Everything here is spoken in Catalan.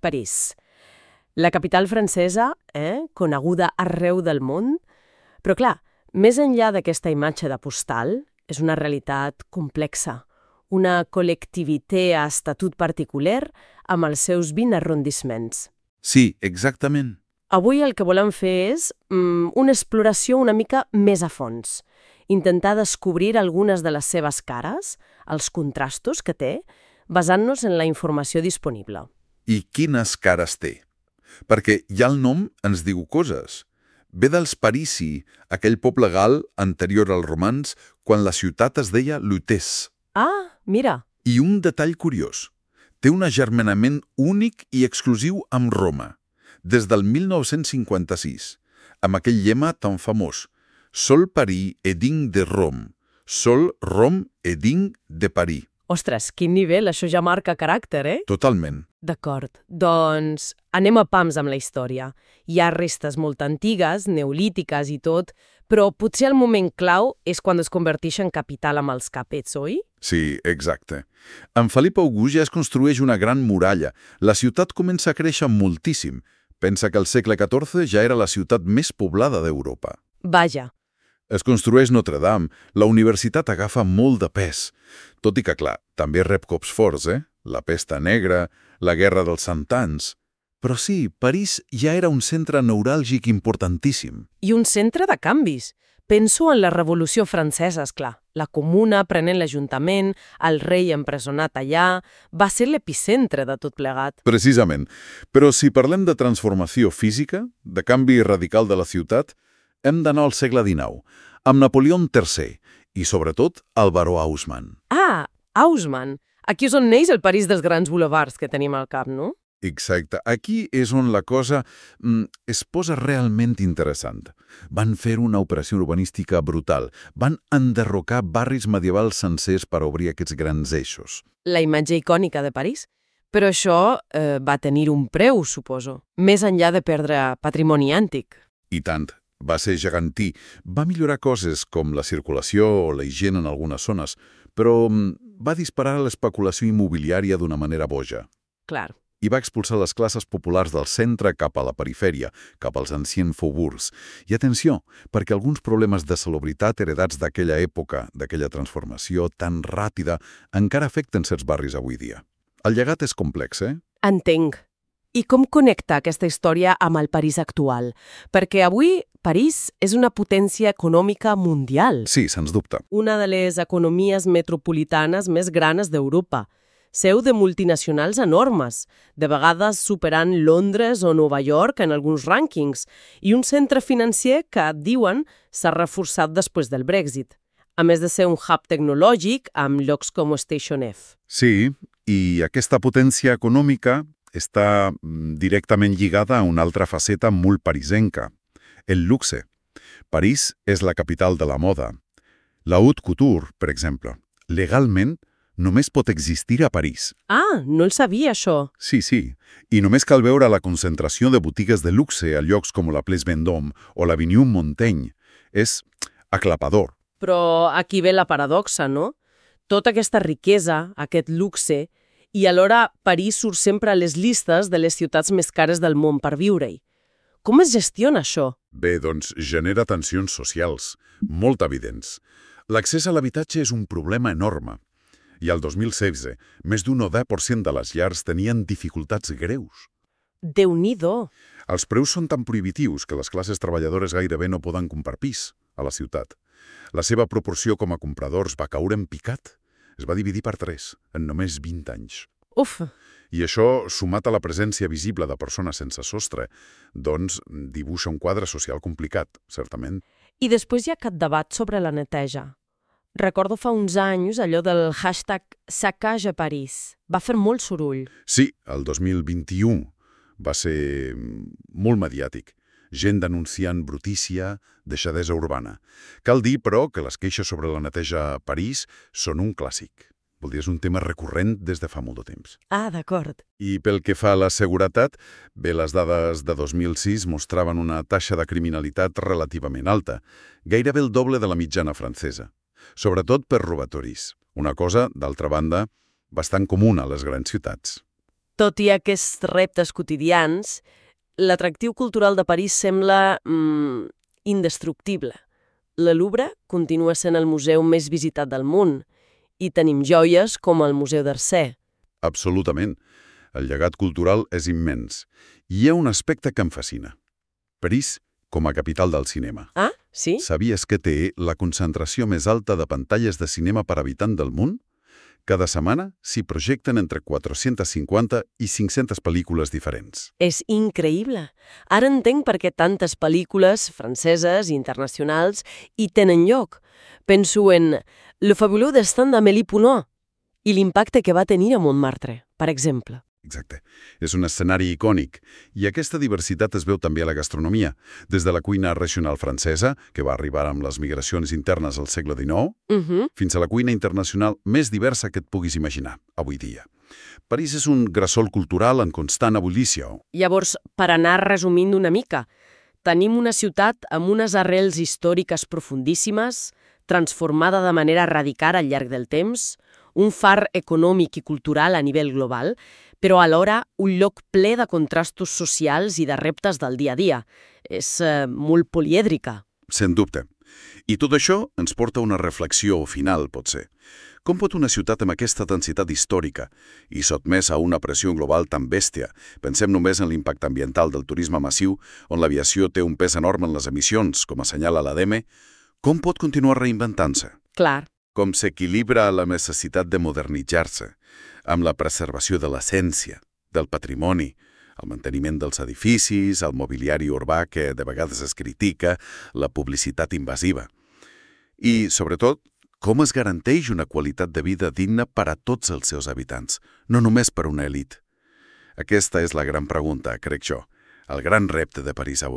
París. La capital francesa, coneguda arreu del món. Però clar, més enllà d'aquesta imatge de postal, és una realitat complexa. Una col·lectivité a estatut particular amb els seus 20 arrondissements. Sí, exactament. Avui el que volem fer és una exploració una mica més a fons. Intentar descobrir algunes de les seves cares, els contrastos que té, basant-nos en la informació disponible. I quines cares té? Perquè ja el nom ens diu coses. Ve dels Parisi, aquell poble gal anterior als romans, quan la ciutat es deia Lutèce. Ah, mira. I un detall curiós. Té un agermanament únic i exclusiu amb Roma, des del 1956, amb aquell lema tan famós: Sol Paris est digne de Rome, sol Rome est digne de Paris. Ostres, quin nivell, això ja marca caràcter, Totalment. D'acord, doncs anem a pams amb la història. Hi ha restes molt antigues, neolítiques i tot, però potser el moment clau és quan es converteix en capital amb els capets, oi? Sí, exacte. En Felip August ja es construeix una gran muralla. La ciutat comença a créixer moltíssim. Pensa que al segle XIV ja era la ciutat més poblada d'Europa. Vaja. Es construeix Notre Dame, la universitat agafa molt de pes. Tot i que, clar, també rep cops forts, La pesta negra, la guerra dels 100 anys. Però sí, París ja era un centre neuràlgic importantíssim. I un centre de canvis. Penso en la Revolució Francesa, esclar. La Comuna prenent l'Ajuntament, el rei empresonat allà... Va ser l'epicentre de tot plegat. Precisament. Però si parlem de transformació física, de canvi radical de la ciutat, hem d'anar al segle XIX, amb Napoleó III i, sobretot, el baró Haussmann. Ah, Haussmann. Aquí és on neix el París dels grans boulevards que tenim al cap, no? Exacte. Aquí és on la cosa es posa realment interessant. Van fer una operació urbanística brutal. Van enderrocar barris medievals sencers per obrir aquests grans eixos. La imatge icònica de París. Però això va tenir un preu, suposo, més enllà de perdre patrimoni antic. I tant. Va ser gegantí. Va millorar coses com la circulació o la higiene en algunes zones, però va disparar l'especulació immobiliària d'una manera boja. Clar. I va expulsar les classes populars del centre cap a la perifèria, cap als anciens faubourgs. I atenció, perquè alguns problemes de salubritat heredats d'aquella època, d'aquella transformació tan ràpida, encara afecten certs barris avui dia. El llegat és complex, Entenc. I com connecta aquesta història amb el París actual? Perquè avui París és una potència econòmica mundial. Sí, sens dubte. Una de les economies metropolitanes més grans d'Europa. Seu de multinacionals enormes, de vegades superant Londres o Nova York en alguns rànquings, i un centre financer que, diuen, s'ha reforçat després del Brexit, a més de ser un hub tecnològic amb llocs com Station F. Sí, i aquesta potència econòmica està directament lligada a una altra faceta molt parisenca, el luxe. París és la capital de la moda. La haute couture, per exemple, legalment només pot existir a París. Ah, no el sabia, això. Sí, sí. I només cal veure la concentració de botigues de luxe a llocs com la Place Vendôme o l'Avenue Montaigne. És aclapador. Però aquí ve la paradoxa, no? Tota aquesta riquesa, aquest luxe, i alhora París surt sempre a les llistes de les ciutats més cares del món per viure-hi. Com es gestiona això? Bé, doncs genera tensions socials, molt evidents. L'accés a l'habitatge és un problema enorme. I al 2016, més d'un 90% de les llars tenien dificultats greus. Déu-n'hi-do! Els preus són tan prohibitius que les classes treballadores gairebé no poden comprar pis a la ciutat. La seva proporció com a compradors va caure en picat. Es va dividir per 3 en només 20 anys. Uf! I això, sumat a la presència visible de persones sense sostre, doncs dibuixa un quadre social complicat, certament. I després hi ha aquest debat sobre la neteja. Recordo fa uns anys allò del hashtag Saccage a París. Va fer molt soroll. Sí, el 2021 va ser molt mediàtic. Gent denunciant brutícia, deixadesa urbana. Cal dir, però, que les queixes sobre la neteja a París són un clàssic. Vol dir, és un tema recurrent des de fa molt de temps. Ah, d'acord. I pel que fa a la seguretat, bé, les dades de 2006 mostraven una taxa de criminalitat relativament alta, gairebé el doble de la mitjana francesa. Sobretot per robatoris, una cosa, d'altra banda, bastant comuna a les grans ciutats. Tot i aquests reptes quotidians, l'atractiu cultural de París sembla indestructible. La Louvre continua sent el museu més visitat del món i tenim joies com el Museu d'Orsay. Absolutament. El llegat cultural és immens. I hi ha un aspecte que em fascina. París com a capital del cinema. Ah, sí? Sabies que té la concentració més alta de pantalles de cinema per habitant del món? Cada setmana s'hi projecten entre 450 i 500 pel·lícules diferents. És increïble. Ara entenc per què tantes pel·lícules franceses i internacionals hi tenen lloc. Penso en Le fabuleux destin d'Amélie Poulain i l'impacte que va tenir a Montmartre, per exemple. Exacte. És un escenari icònic. I aquesta diversitat es veu també a la gastronomia, des de la cuina regional francesa, que va arribar amb les migracions internes al segle XIX, fins a la cuina internacional més diversa que et puguis imaginar, avui dia. París és un gresol cultural en constant ebullició. Llavors, per anar resumint una mica, tenim una ciutat amb unes arrels històriques profundíssimes, transformada de manera radical al llarg del temps, un far econòmic i cultural a nivell global, però alhora un lloc ple de contrastos socials i de reptes del dia a dia. És molt polièdrica. Sens dubte. I tot això ens porta a una reflexió final, potser. Com pot una ciutat amb aquesta densitat històrica i sotmesa a una pressió global tan bèstia, pensem només en l'impacte ambiental del turisme massiu, on l'aviació té un pes enorme en les emissions, com assenyala l'ADM, com pot continuar reinventant-se? Clar. Com s'equilibra la necessitat de modernitzar-se, amb la preservació de l'essència, del patrimoni, el manteniment dels edificis, el mobiliari urbà que de vegades es critica, la publicitat invasiva. I, sobretot, com es garanteix una qualitat de vida digna per a tots els seus habitants, no només per una elit? Aquesta és la gran pregunta, crec jo, el gran repte de París avui.